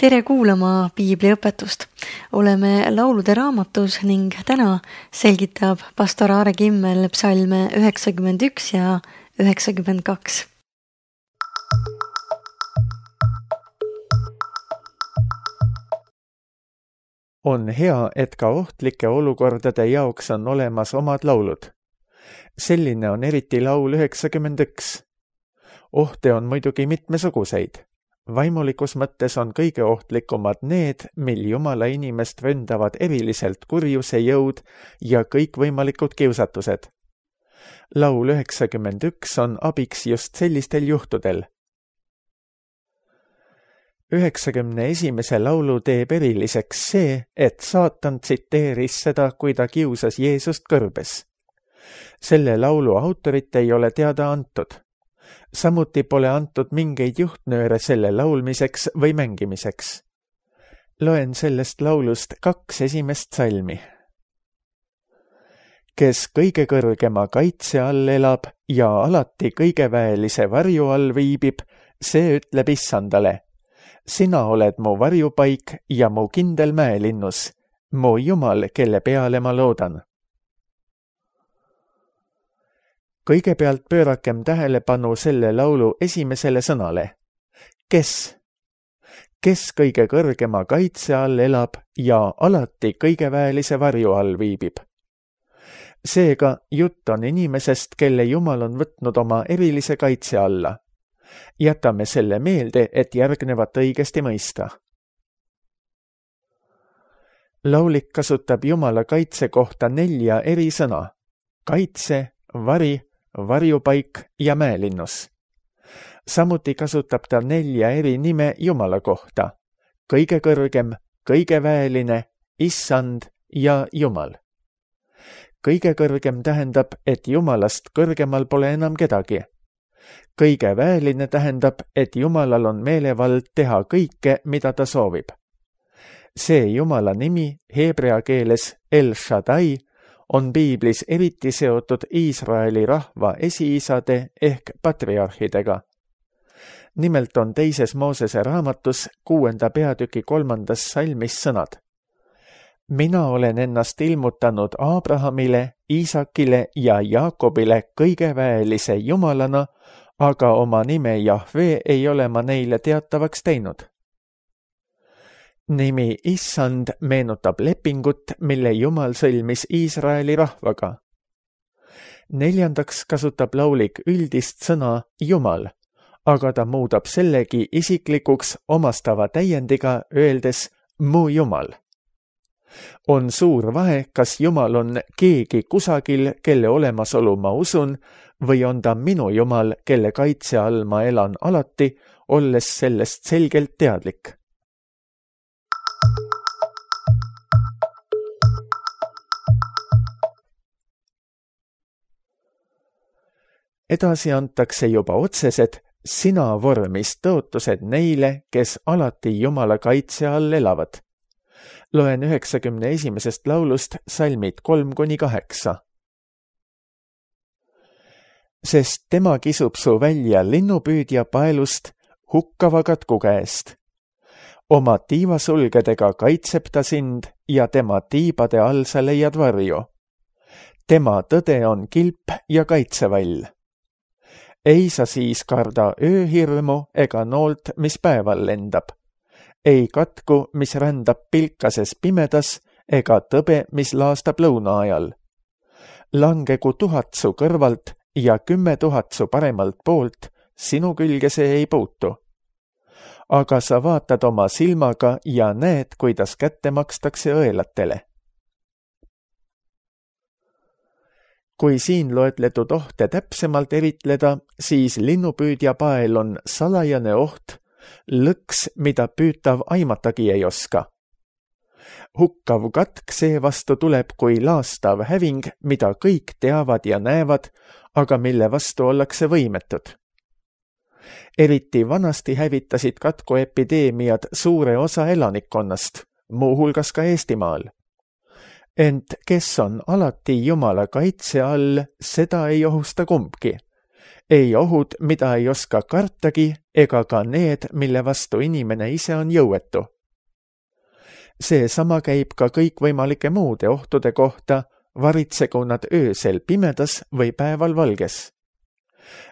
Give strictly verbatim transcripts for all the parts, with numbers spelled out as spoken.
tere kuulama piibliõpetust. Oleme laulude raamatus ning täna selgitab pastor Aare Kimmel psalme üheksakümmend üks ja üheksakümmend kaks. On hea, et ka ohtlike olukordade jaoks on olemas omad laulud. Selline on eriti laul üheksakümmend üks. Ohte on muidugi mitmesuguseid. Vaimulikus mõttes on kõige ohtlikumad need, mil Jumala inimest ründavad eriliselt kurjuse jõud ja kõikvõimalikud kiusatused. Laul üheksakümmend üks on abiks just sellistel juhtudel. üheksakümne esimese laulu teeb eriliseks see, et saatan tsiteeris seda, kui ta kiusas Jeesust kõrbes. Selle laulu autorit ei ole teada antud. Samuti pole antud mingeid juhtnööre selle laulmiseks või mängimiseks. Loen sellest laulust kaks esimest salmi. Kes kõige kõrgema kaitse all elab ja alati kõigeväelise varju all viibib, see ütleb Issandale: sina oled mu varjupaik ja mu kindel mäelinnus, mu Jumal, kelle peale ma loodan. Kõigepealt pöörakem tähelepanu selle laulu esimesele sõnale. Kes? Kes kõige kõrgema kaitse all elab ja alati kõigeväelise varju all viibib? Seega jutt on inimesest, kelle Jumal on võtnud oma erilise kaitse alla. Jätame selle meelde, et järgnevat õigesti mõista. Laulik kasutab Jumala kaitse kohta nelja eri sõna. Kaitse, vari, varjupaik ja mäelinnus. Samuti kasutab ta nelja eri nime Jumala kohta. Kõige kõrgem, kõige väeline, Issand ja Jumal. Kõige kõrgem tähendab, et Jumalast kõrgemal pole enam kedagi. Kõige väeline tähendab, et Jumalal on meelevald teha kõike, mida ta soovib. See Jumala nimi, heebrea keeles El Shaddai, on piiblis eriti seotud Iisraeli rahva esiisade ehk patriarhidega. Nimelt on teises Moosese raamatus kuuenda peatüki kolmandas salmis sõnad. Mina olen ennast ilmutanud Abrahamile, Iisakile ja Jaakobile kõigeväelise Jumalana, aga oma nime Jahve ei ole ma neile teatavaks teinud. Nimi Issand meenutab lepingut, mille Jumal sõlmis Iisraeli rahvaga. Neljandaks kasutab laulik üldist sõna Jumal, aga ta muudab sellegi isiklikuks omastava täiendiga, öeldes mu Jumal. On suur vahe, kas Jumal on keegi kusagil, kelle olemasolu ma usun, või on ta minu Jumal, kelle kaitse all ma elan alati, olles sellest selgelt teadlik. Edasi antakse juba otsesed sina vormis tõotused neile, kes alati Jumala kaitse all elavad. Loen üheksakümne esimesest laulust salmid kolm kuni kaheksa. Sest tema kisub su välja linnupüüdja paelust hukkava katku käest. Oma tiivasulgedega kaitseb ta sind ja tema tiibade all sa leiad varju. Tema tõde on kilp ja kaitsevall. Ei sa siis karda ööhirmu ega noolt, mis päeval lendab. Ei katku, mis rändab pilkases pimedas, ega tõbe, mis laastab lõuna ajal. Langegu tuhat su kõrvalt ja kümme tuhat su paremalt poolt, sinu külge see ei puutu. Aga sa vaatad oma silmaga ja näed, kuidas kätte makstakse õelatele. Kui siin loetletud ohte täpsemalt eritleda, siis linnupüüdja pael on salajane oht, lõks, mida püütav aimatagi ei oska. Hukkav katk seevastu tuleb kui laastav häving, mida kõik teavad ja näevad, aga mille vastu ollakse võimetud. Eriti vanasti hävitasid katkuepideemiad suure osa elanikkonnast, muuhulgas ka Eestimaal. Ent kes on alati Jumala kaitse all, seda ei ohusta kumbki. Ei ohud, mida ei oska kartagi, ega ka need, mille vastu inimene ise on jõuetu. seesama käib ka kõikvõimalike muude ohtude kohta, varitsegu nad öösel pimedas või päeval valges.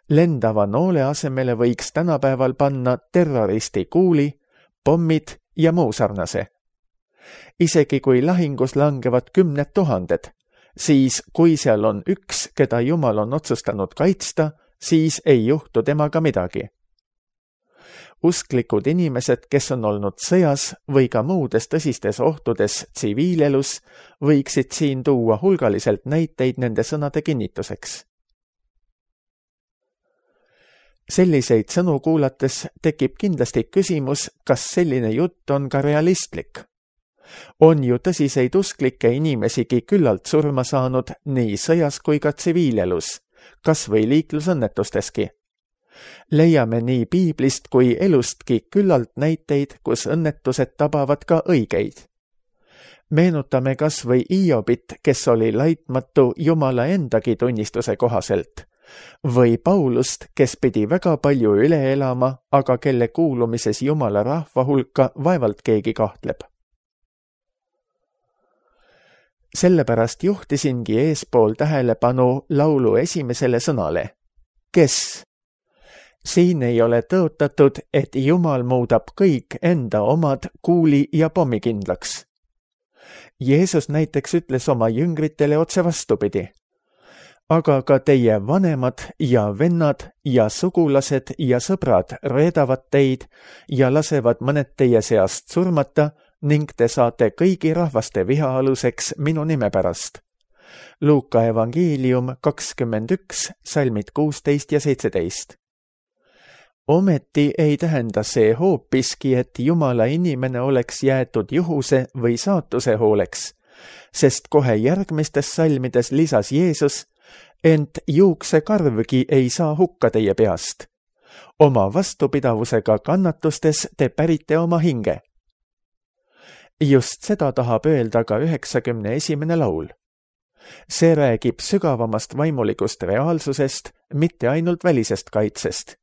Lendava noole asemele võiks tänapäeval panna terroristi kuuli, pommid ja muu sarnase. Isegi kui lahingus langevad kümned tuhanded, siis kui seal on üks, keda Jumal on otsustanud kaitsta, siis ei juhtu temaga midagi. Usklikud inimesed, kes on olnud sõjas või ka muudes tõsistes ohtudes tsiviilelus, võiksid siin tuua hulgaliselt näiteid nende sõnade kinnituseks. Selliseid sõnu kuulates tekib kindlasti küsimus, kas selline jutt on ka realistlik. On ju tõsiseid usklikke inimesigi küllalt surma saanud nii sõjas kui ka tsiviilelus, kas või liiklusõnnetusteski. Leiame nii piiblist kui elustki küllalt näiteid, kus õnnetused tabavad ka õigeid. Meenutame kas või Iobit, kes oli laitmatu Jumala endagi tunnistuse kohaselt, või Paulust, kes pidi väga palju üle elama, aga kelle kuulumises Jumala rahva hulka vaevalt keegi kahtleb. Sellepärast juhtisingi eespool tähelepanu laulu esimesele sõnale. Kes? Siin ei ole tõotatud, et Jumal muudab kõik enda omad kuuli ja pommikindlaks. Jeesus näiteks ütles oma jüngritele otse vastupidi. Aga ka teie vanemad ja vennad ja sugulased ja sõbrad reedavad teid ja lasevad mõned teie seast surmata ning te saate kõigi rahvaste viha aluseks minu nime pärast. Luuka evangeelium kakskümmend üks, salmid kuusteist ja seitseteist. Ometi ei tähenda see hoopiski, et Jumala inimene oleks jäetud juhuse või saatuse hooleks, sest kohe järgmistes salmides lisas Jeesus, ent juuksekarvgi ei saa hukka teie peast. Oma vastupidavusega kannatustes te pärite oma hinge. Just seda tahab öelda ka üheksakümne esimene laul. See räägib sügavamast vaimulikust reaalsusest, mitte ainult välisest kaitsest.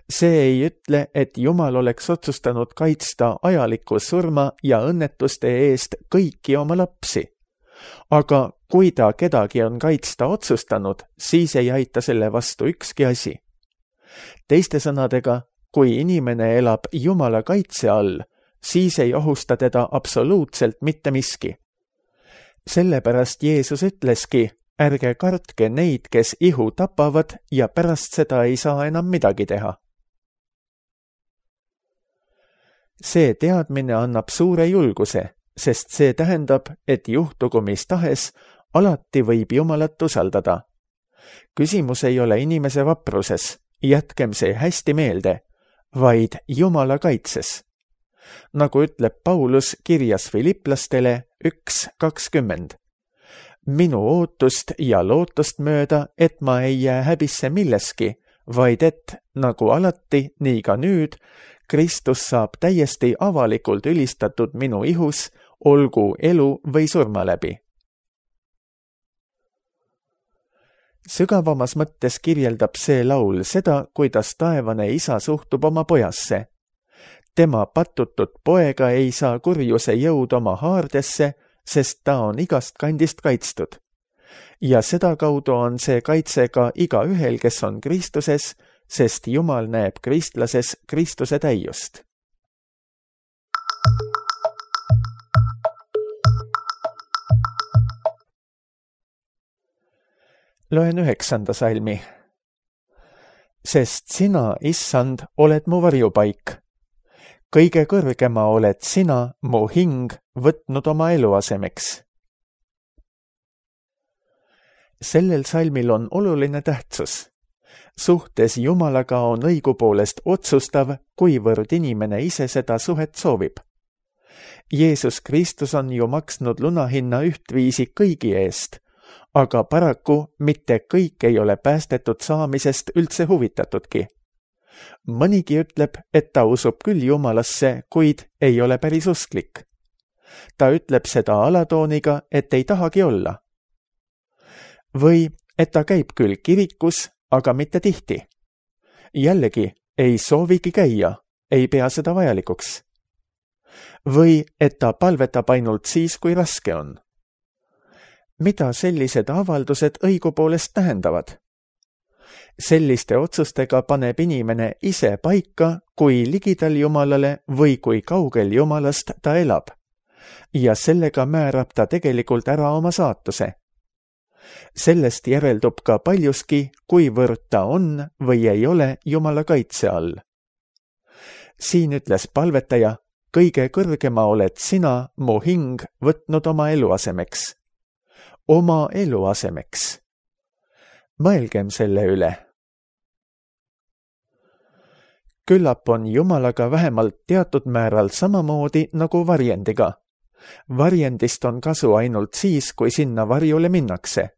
See ei ütle, et Jumal oleks otsustanud kaitsta ajaliku surma ja õnnetuste eest kõiki oma lapsi. Aga kui ta kedagi on kaitsta otsustanud, siis ei aita selle vastu ükski asi. Teiste sõnadega, kui inimene elab Jumala kaitse all, siis ei ohusta teda absoluutselt mitte miski. Sellepärast Jeesus ütleski, ärge kartke neid, kes ihu tapavad ja pärast seda ei saa enam midagi teha. See teadmine annab suure julguse, sest see tähendab, et juhtugu mis tahes, alati võib Jumalat usaldada. Küsimus ei ole inimese vapruses, jätkem see hästi meelde, vaid Jumala kaitses. Nagu ütleb Paulus kirjas Filiplastele üks kakskümmend. Minu ootust ja lootust mööda, et ma ei jää häbisse milleski, vaid et, nagu alati, nii ka nüüd, Kristus saab täiesti avalikult ülistatud minu ihus, olgu elu või surma läbi. Sügavamas mõttes kirjeldab see laul seda, kuidas taevane isa suhtub oma pojasse. Tema patutud poega ei saa kurjuse jõud oma haardesse, sest ta on igast kandist kaitstud. Ja sedakaudu on see kaitse ka iga ühel, kes on Kristuses, sest Jumal näeb kristlases Kristuse täiust. Loen üheksanda salmi. Sest sina, issand, oled mu varjupaik. Kõige kõrgema oled sina, mu hing, võtnud oma eluasemeks. Sellel salmil on oluline tähtsus. Suhtes Jumalaga on õigupoolest otsustav, kuivõrd inimene ise seda suhet soovib. Jeesus Kristus on ju maksnud lunahinna ühtviisi kõigi eest, aga paraku mitte kõik ei ole päästetud saamisest üldse huvitatudki. Mõnigi ütleb, et ta usub küll Jumalasse, kuid ei ole päris usklik. Ta ütleb seda alatooniga, et ei tahagi olla. Või et ta käib küll kirikus, aga mitte tihti. Jällegi, ei soovigi käia, ei pea seda vajalikuks. või et ta palvetab ainult siis, kui raske on. Mida sellised avaldused õigupoolest tähendavad? Selliste otsustega paneb inimene ise paika, kui ligidal Jumalale või kui kaugel Jumalast ta elab. Ja sellega määrab ta tegelikult ära oma saatuse. Sellest järeldub ka paljuski, kuivõrd ta on või ei ole Jumala kaitse all. Siin ütles palvetaja, kõige kõrgema oled sina, mu hing, võtnud oma eluasemeks. Oma eluasemeks. Mõelgem selle üle. Küllap on Jumalaga vähemalt teatud määral samamoodi nagu varjendiga. Varjendist on kasu ainult siis, kui sinna varjule minnakse.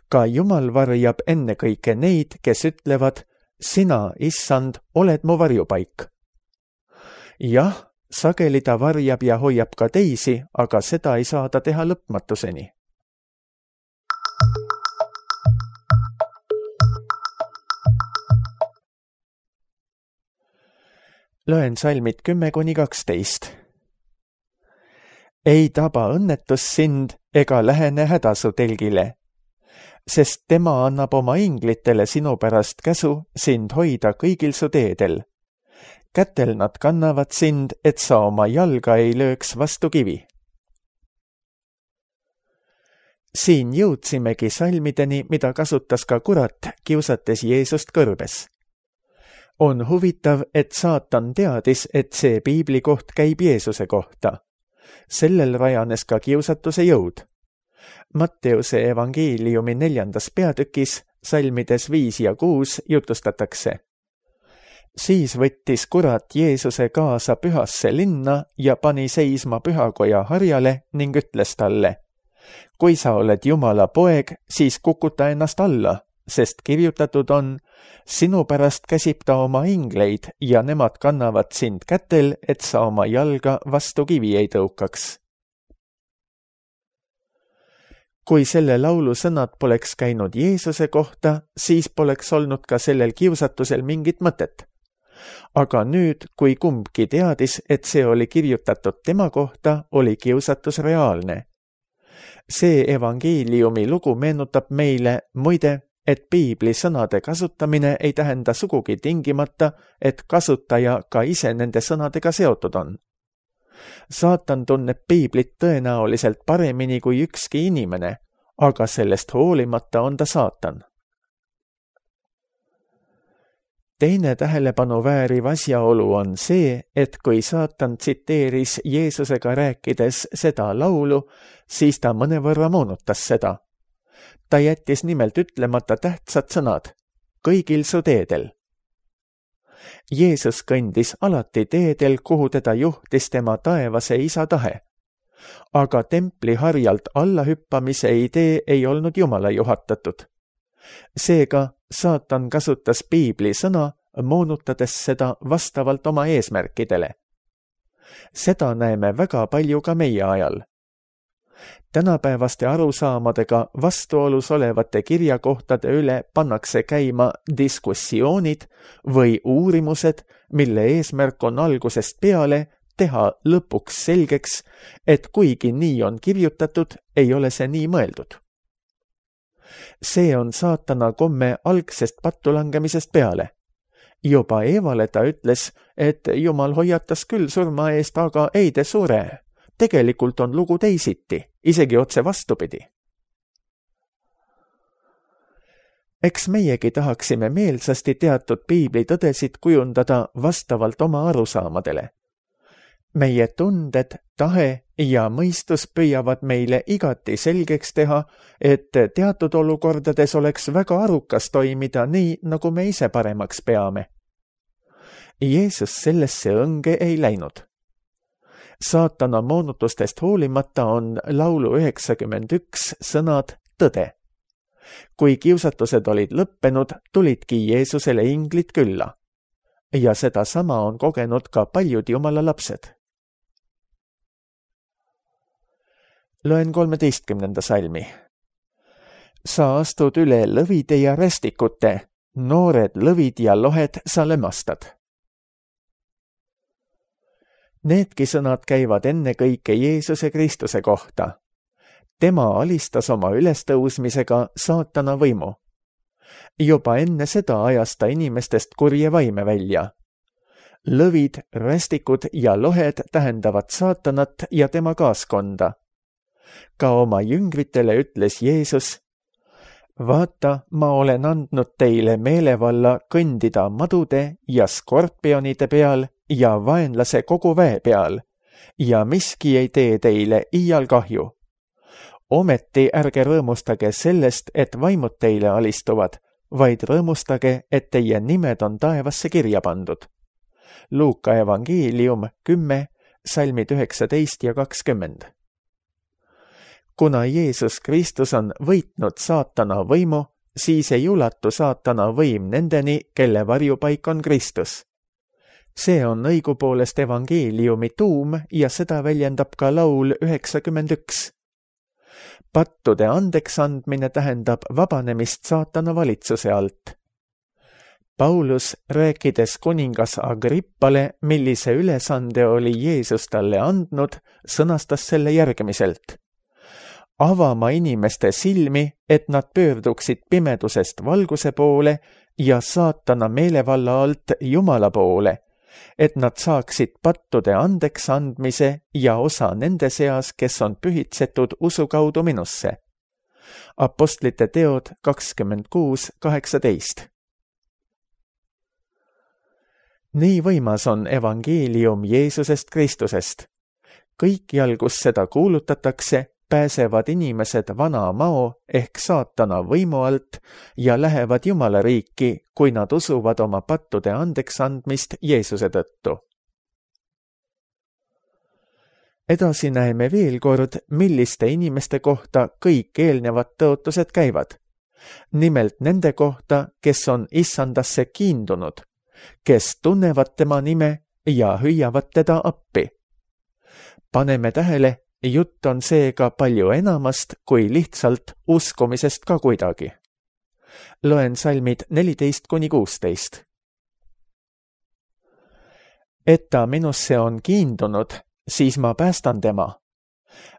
Ka Jumal varjab ennekõike neid, kes ütlevad, sina, issand, oled mu varjupaik. Jah, sageli ta varjab ja hoiab ka teisi, aga seda ei saa ta teha lõpmatuseni. Loen salmid kümme kuni kaksteist. Ei taba õnnetus sind ega lähene häda su telgile, sest tema annab oma inglitele sinu pärast käsu sind hoida kõigil su teedel. Kätel nad kannavad sind, et sa oma jalga ei lööks vastu kivi. Siin jõudsimegi salmideni, mida kasutas ka kurat, kiusates Jeesust kõrbes. On huvitav, et saatan teadis, et see piibli koht käib Jeesuse kohta. Sellel rajanes ka kiusatuse jõud. Matteuse evangeeliumi neljandas peatükis, salmides viis ja kuus jutustatakse. Siis võttis kurat Jeesuse kaasa pühasse linna ja pani seisma pühakoja harjale ning ütles talle, kui sa oled Jumala poeg, siis kukuta ennast alla, sest kirjutatud on, sinu pärast käsib ta oma ingleid ja nemad kannavad sind kätel, et sa oma jalga vastu kivi ei tõukaks. Kui selle laulu sõnad poleks käinud Jeesuse kohta, siis poleks olnud ka sellel kiusatusel mingit mõtet. Aga nüüd, kui kumbki teadis, et see oli kirjutatud tema kohta, oli kiusatus reaalne. See evangeeliumi lugu meenutab meile, muide, et piibli sõnade kasutamine ei tähenda sugugi tingimata, et kasutaja ka ise nende sõnadega seotud on. Saatan tunneb piiblit tõenäoliselt paremini kui ükski inimene, aga sellest hoolimata on ta saatan. Teine tähelepanu vääriv asjaolu on see, et kui saatan tsiteeris Jeesusega rääkides seda laulu, siis ta mõnevõrra moonutas seda. Ta jättis nimelt ütlemata tähtsad sõnad, kõigil su teedel. Jeesus kõndis alati teedel, kuhu teda juhtis tema taevase isa tahe. Aga templi harjalt allahüppamise idee ei olnud Jumala juhatatud. Seega saatan kasutas piibli sõna, moonutades seda vastavalt oma eesmärkidele. Seda näeme väga palju ka meie ajal. Tänapäevaste arusaamadega vastuolus olevate kirjakohtade üle pannakse käima diskussioonid või uurimused, mille eesmärk on algusest peale teha lõpuks selgeks, et kuigi nii on kirjutatud, ei ole see nii mõeldud. See on saatana komme algsest pattulangemisest peale. Juba Eevale ta ütles, et Jumal hoiatas küll surma eest, aga ei te sure. Tegelikult on lugu teisiti, isegi otse vastupidi. Eks meiegi tahaksime meelsasti teatud piibli tõdesid kujundada vastavalt oma arusaamadele. Meie tunded, tahe ja mõistus püüavad meile igati selgeks teha, et teatud olukordades oleks väga arukas toimida nii, nagu me ise paremaks peame. Jeesus sellesse õnge ei läinud. Saatana moonutustest hoolimata on laulu üheksakümmend üks sõnad tõde. Kui kiusatused olid lõppenud, tulidki Jeesusele inglid külla. Ja seda sama on kogenud ka paljud Jumala lapsed. Loen kolmeteistkümnenda salmi. Sa astud üle lõvide ja rästikute, noored lõvid ja lohed sa lämmastad. Needki sõnad käivad ennekõike Jeesuse Kristuse kohta. Tema alistas oma ülestõusmisega saatana võimu. Juba enne seda ajas ta inimestest kurje vaime välja. Lõvid, rästikud ja lohed tähendavad saatanat ja tema kaaskonda. Ka oma jüngritele ütles Jeesus: vaata, ma olen andnud teile meelevalla kõndida madude ja skorpionide peal ja vaenlase kogu väe peal ja miski ei tee teile iial kahju. Ometi ärge rõõmustage sellest, et vaimud teile alistuvad, vaid rõõmustage, et teie nimed on taevasse kirja pandud. Luuka evangeelium kümme, salmid üheksateist ja kakskümmend. Kuna Jeesus Kristus on võitnud saatana võimu, siis ei ulatu saatana võim nendeni, kelle varjupaik on Kristus. See on õigupoolest evangeeliumi tuum ja seda väljendab ka laul üheksakümmend üks. Pattude andeks andmine tähendab vabanemist saatana valitsuse alt. Paulus, rääkides kuningas Agrippale, millise ülesande oli Jeesus talle andnud, sõnastas selle järgmiselt: avama inimeste silmi, et nad pöörduksid pimedusest valguse poole ja saatana meelevalla alt Jumala poole, et nad saaksid pattude andeks andmise ja osa nende seas, kes on pühitsetud usu kaudu minusse. Apostlite teod kakskümmend kuus kaheksateist. Nii võimas on evangeelium Jeesusest Kristusest. Kõikjal, kus seda kuulutatakse, pääsevad inimesed vana mao ehk saatana võimu alt ja lähevad Jumala riiki, kui nad usuvad oma pattude andeks andmist Jeesuse tõttu. Edasi näeme veel kord, milliste inimeste kohta kõik eelnevad tõotused käivad. Nimelt nende kohta, kes on issandasse kiindunud, kes tunnevad tema nime ja hüüavad teda appi. Paneme tähele, jutt on seega palju enamast kui lihtsalt uskumisest ka kuidagi. Loen salmid neliteist kuni kuusteist. Et ta minusse on kiindunud, siis ma päästan tema.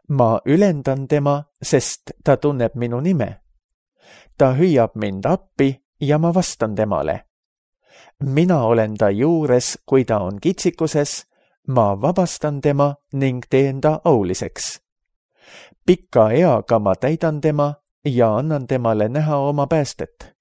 Ma ülendan tema, sest ta tunneb minu nime. Ta hüüab mind appi ja ma vastan temale. Mina olen ta juures, kui ta on kitsikuses, ma vabastan tema ning teen ta auliseks. Pika eaga ma täidan tema ja annan temale näha oma päästet.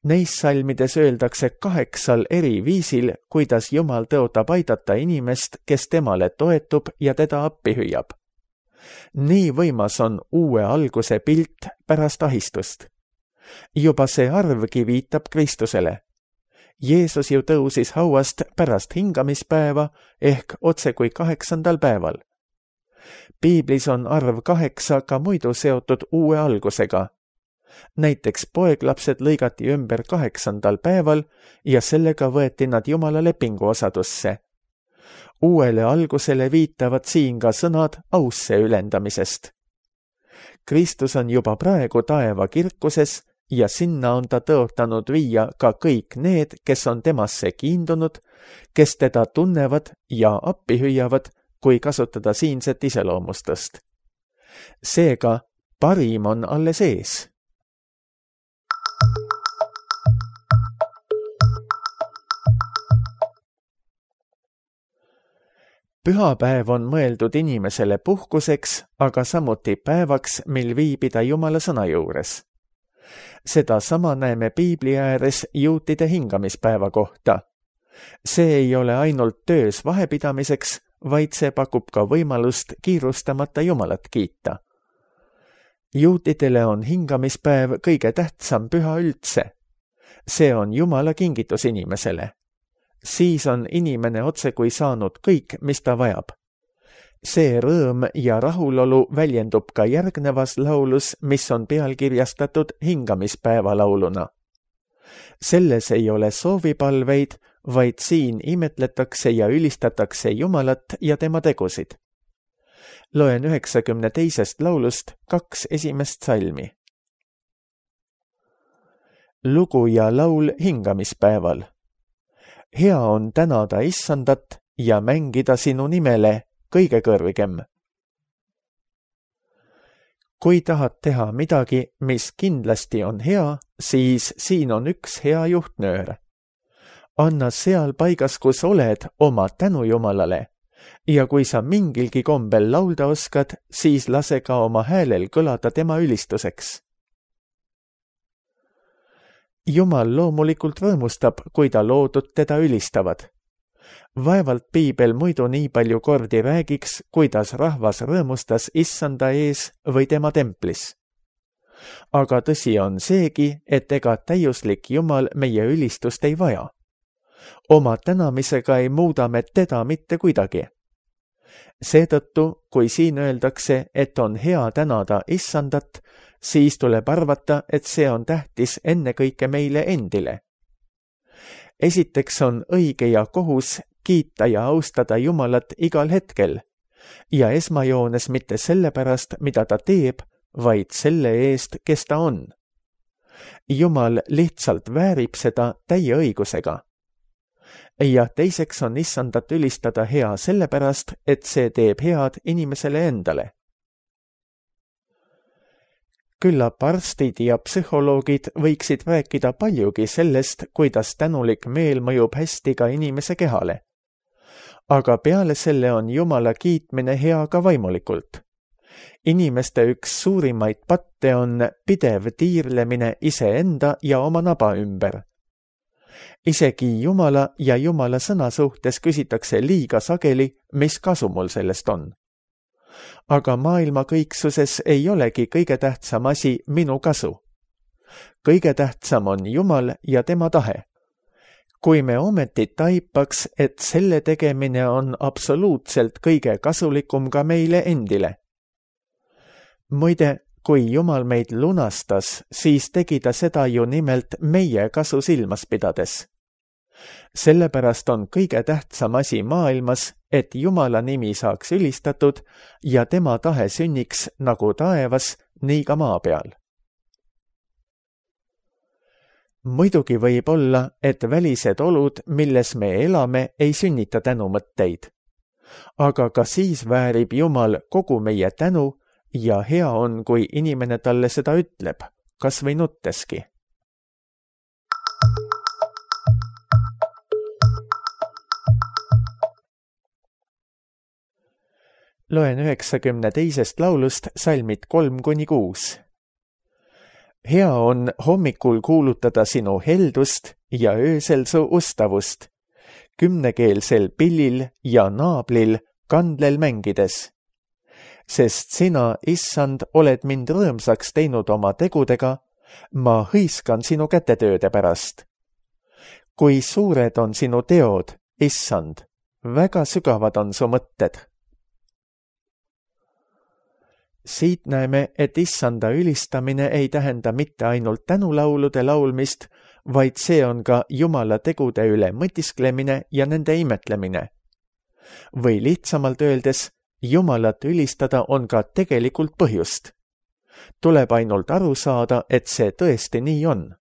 Neis salmides öeldakse kaheksal eri viisil, kuidas Jumal tõotab aidata inimest, kes temale toetub ja teda appi hüüab. Nii võimas on uue alguse pilt pärast ahistust. Juba see arvgi viitab Kristusele. Jeesus ju tõusis hauast pärast hingamispäeva ehk otse kui kaheksandal päeval. Piiblis on arv kaheksa ka muidu seotud uue algusega. Näiteks poeglapsed lõigati ümber kaheksandal päeval ja sellega võeti nad Jumala lepingu osadusse. Uuele algusele viitavad siin ka sõnad ausse ülendamisest. Kristus on juba praegu taeva kirkuses ja sinna on ta tõotanud viia ka kõik need, kes on temasse kiindunud, kes teda tunnevad ja appi hüüavad, kui kasutada siinset iseloomustust. Seega parim on alles ees. Pühapäev on mõeldud inimesele puhkuseks, aga samuti päevaks, mil viibida Jumala sõna juures. Seda sama näeme Piibli ääres juutide hingamispäeva kohta. See ei ole ainult töös vahepidamiseks, vaid see pakub ka võimalust kiirustamata Jumalat kiita. Juutidele on hingamispäev kõige tähtsam püha üldse. See on Jumala kingitus inimesele. Siis on inimene otse kui saanud kõik, mis ta vajab. See rõõm ja rahulolu väljendub ka järgnevas laulus, mis on pealkirjastatud hingamispäeva lauluna. Selles ei ole soovipalveid, vaid siin imetletakse ja ülistatakse Jumalat ja tema tegusid. Loen üheksakümne teisest laulust kaks esimest salmi. Lugu ja laul hingamispäeval. hea on tänada issandat ja mängida sinu nimele kõige kõrgem. Kui tahad teha midagi, mis kindlasti on hea, siis siin on üks hea juhtnöör. Anna seal paigas, kus oled, oma tänu Jumalale ja kui sa mingilgi kombel laulda oskad, siis lase ka oma häälel kõlada tema ülistuseks. Jumal loomulikult rõõmustab, kui ta loodud teda ülistavad. Vaevalt piibel muidu nii palju kordi räägiks, kuidas rahvas rõõmustas issanda ees või tema templis. Aga tõsi on seegi, et ega täiuslik Jumal meie ülistust ei vaja. Oma tänamisega ei muuda me teda mitte kuidagi. Seetõttu, kui siin öeldakse, et on hea tänada issandat, siis tuleb arvata, et see on tähtis ennekõike meile endile. Esiteks on õige ja kohus kiita ja austada Jumalat igal hetkel ja esmajoones mitte sellepärast, mida ta teeb, vaid selle eest, kes ta on. Jumal lihtsalt väärib seda täie õigusega. Ja teiseks on issandat ülistada hea sellepärast, et see teeb head inimesele endale. Küllap arstid ja psühholoogid võiksid rääkida paljugi sellest, kuidas tänulik meel mõjub hästi ka inimese kehale. Aga peale selle on Jumala kiitmine hea ka vaimulikult. Inimeste üks suurimaid patte on pidev tiirlemine iseenda ja oma naba ümber. Isegi Jumala ja Jumala sõna suhtes küsitakse liiga sageli, mis kasu mul sellest on. Aga maailma kõiksuses ei olegi kõige tähtsam asi minu kasu. Kõige tähtsam on Jumal ja tema tahe. Kui me ometi taipaks, et selle tegemine on absoluutselt kõige kasulikum ka meile endile. Muide, kui Jumal meid lunastas, siis tegi ta seda ju nimelt meie kasu silmas pidades. Sellepärast on kõige tähtsam asi maailmas, et Jumala nimi saaks ülistatud ja tema tahe sünniks nagu taevas, nii ka maa peal. Muidugi võib olla, et välised olud, milles me elame, ei sünnita tänumõtteid. Aga ka siis väärib Jumal kogu meie tänu ja hea on, kui inimene talle seda ütleb, kas või nutteski. Loen üheksakümne teisest laulust salmid kolm kuni kuus. Hea on hommikul kuulutada sinu heldust ja öösel su ustavust, kümnekeelsel pillil ja naablil kandlel mängides. Sest sina, issand, oled mind rõõmsaks teinud oma tegudega, ma hõiskan sinu kätetööde pärast. Kui suured on sinu teod, issand, väga sügavad on su mõtted. Siit näeme, et issanda ülistamine ei tähenda mitte ainult tänulaulude laulmist, vaid see on ka Jumala tegude üle mõtisklemine ja nende imetlemine. Või lihtsamalt öeldes, Jumalat ülistada on ka tegelikult põhjust. Tuleb ainult aru saada, et see tõesti nii on.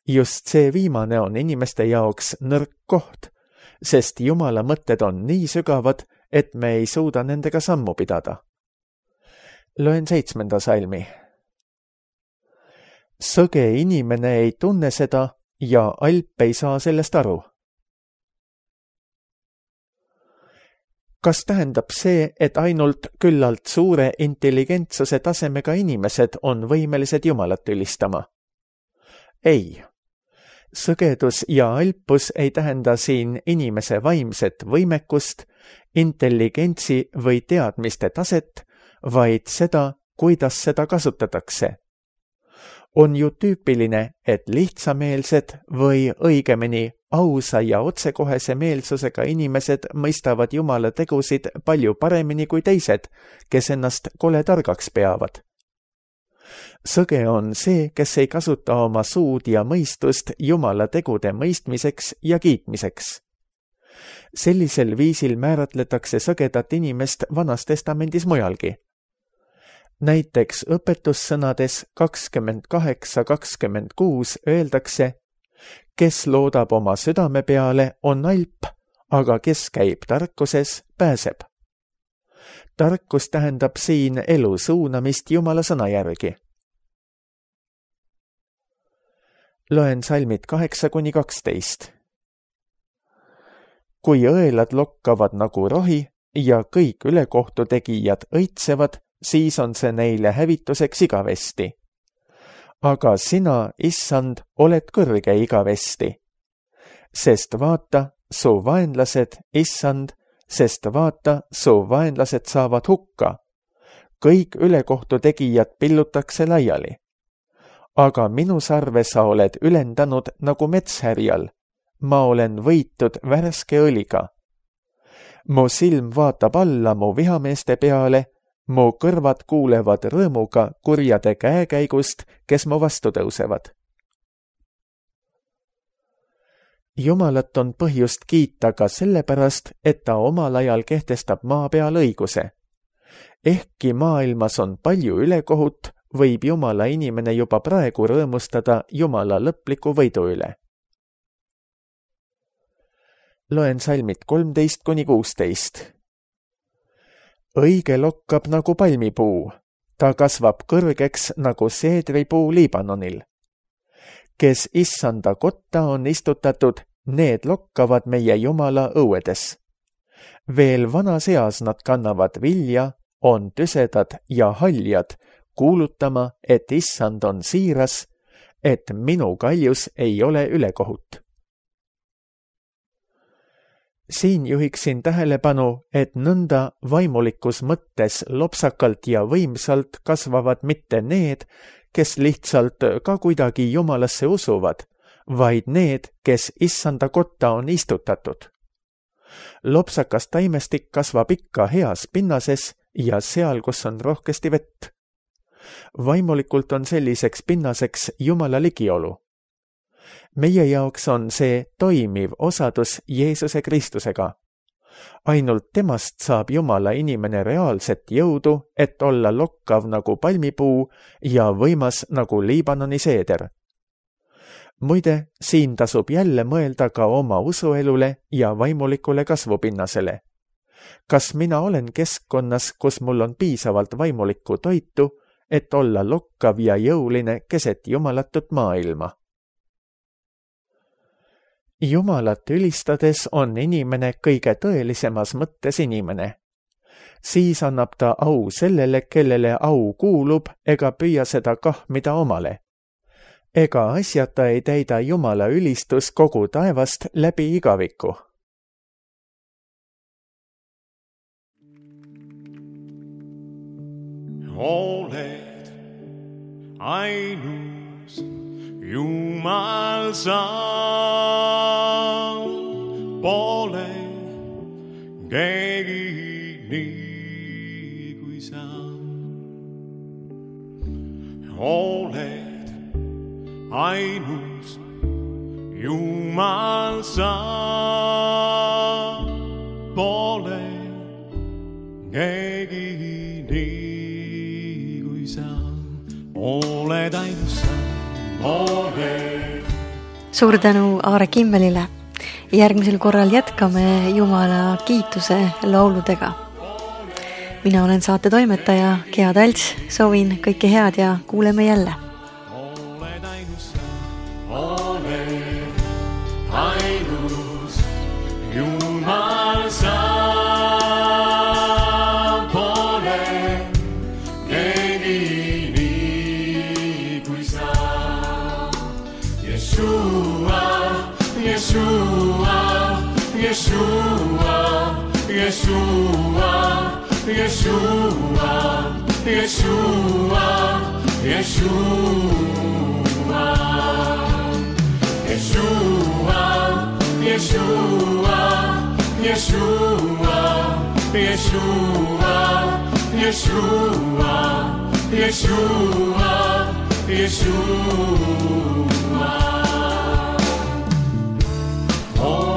Just see viimane on inimeste jaoks nõrk koht, sest Jumala mõtted on nii sügavad, et me ei suuda nendega sammu pidada. Loen seitsmenda salmi. Sõge inimene ei tunne seda ja alp ei saa sellest aru. Kas tähendab see, et ainult küllalt suure intelligentsuse tasemega inimesed on võimelised Jumalat ülistama? Ei. Sõgedus ja alpus ei tähenda siin inimese vaimset võimekust, intelligentsi või teadmiste taset, vaid seda, kuidas seda kasutatakse. On ju tüüpiline, et lihtsameelsed või õigemini ausa ja otsekohese meelsusega inimesed mõistavad Jumala tegusid palju paremini kui teised, kes ennast kole targaks peavad. Sõge on see, kes ei kasuta oma suud ja mõistust Jumala tegude mõistmiseks ja kiitmiseks. Sellisel viisil määratletakse sõgedat inimest Vanas Testamendis mujalgi. Näiteks õpetussõnades kakskümmend kaheksa kakskümmend kuus öeldakse, kes loodab oma südame peale, on alp, aga kes käib tarkuses, pääseb. Tarkus tähendab siin elu suunamist Jumala sõna järgi. Loen salmid kaheksa kuni kaksteist. Kui õelad lokkavad nagu rohi ja kõik ülekohtutegijad õitsevad, siis on see neile hävituseks igavesti. Aga sina, issand, oled kõrge igavesti. Sest vaata, su vaenlased, issand, sest vaata, su vaenlased saavad hukka. Kõik ülekohtutegijad pillutakse laiali. Aga minu sarve sa oled ülendanud nagu metshärjal. Ma olen võitud värske õliga. Mu silm vaatab alla mu vihameeste peale, mu kõrvad kuulevad rõõmuga kurjade käekäigust, kes mu vastu tõusevad. Jumalat on põhjust kiita ka sellepärast, et ta omal ajal kehtestab maa peal õiguse. Ehkki maailmas on palju ülekohut, võib Jumala inimene juba praegu rõõmustada Jumala lõpliku võidu üle. Loen salmid kolmteist kuni kuusteist. Õige lokkab nagu palmipuu, ta kasvab kõrgeks nagu seedripuu Liibanonil. Kes issanda kotta on istutatud, need lokkavad meie Jumala õuedes. Veel vanas eas nad kannavad vilja, on tüsedad ja haljad, kuulutama, et issand on siiras, et minu kaljus ei ole ülekohut. Siin juhiksin tähelepanu, et nõnda vaimulikus mõttes lopsakalt ja võimsalt kasvavad mitte need, kes lihtsalt ka kuidagi Jumalasse usuvad, vaid need, kes issanda kotta on istutatud. Lopsakas taimestik kasvab ikka heas pinnases ja seal, kus on rohkesti vett. Vaimulikult on selliseks pinnaseks Jumala ligiolu. Meie jaoks on see toimiv osadus Jeesuse Kristusega. Ainult temast saab Jumala inimene reaalset jõudu, et olla lokkav nagu palmipuu ja võimas nagu Liibanoni seeder. Muide, siin tasub jälle mõelda ka oma usuelule ja vaimulikule kasvupinnasele. Kas mina olen keskkonnas, kus mul on piisavalt vaimulikku toitu, et olla lokkav ja jõuline keset jumalatut maailma? Jumalat ülistades on inimene kõige tõelisemas mõttes inimene. Siis annab ta au sellele, kellele au kuulub, ega püüa seda kahmida omale. Ega asjata ei täida Jumala ülistus kogu taevast läbi igaviku. Oled ainus Jumal sa, pole keegi nii kui sa. Oled ainus Jumal sa, pole keegi nii kui sa. Oled ainus sa. Suur tänu Aare Kimmelile. Järgmisel korral jätkame Jumala kiituse lauludega. Mina olen saate toimetaja Gea Talts, soovin kõike head ja kuuleme jälle. Oled ainus, oled ainus Jumal sa, pole keegi nii kui sa. Yeshua, Yeshua, Yeshua, Yeshua, Yeshua, Yeshua, Yeshua, Yeshua, Yeshua, Yeshua, Yeshua, Yeshua, Yeshua, Yeshua. Oh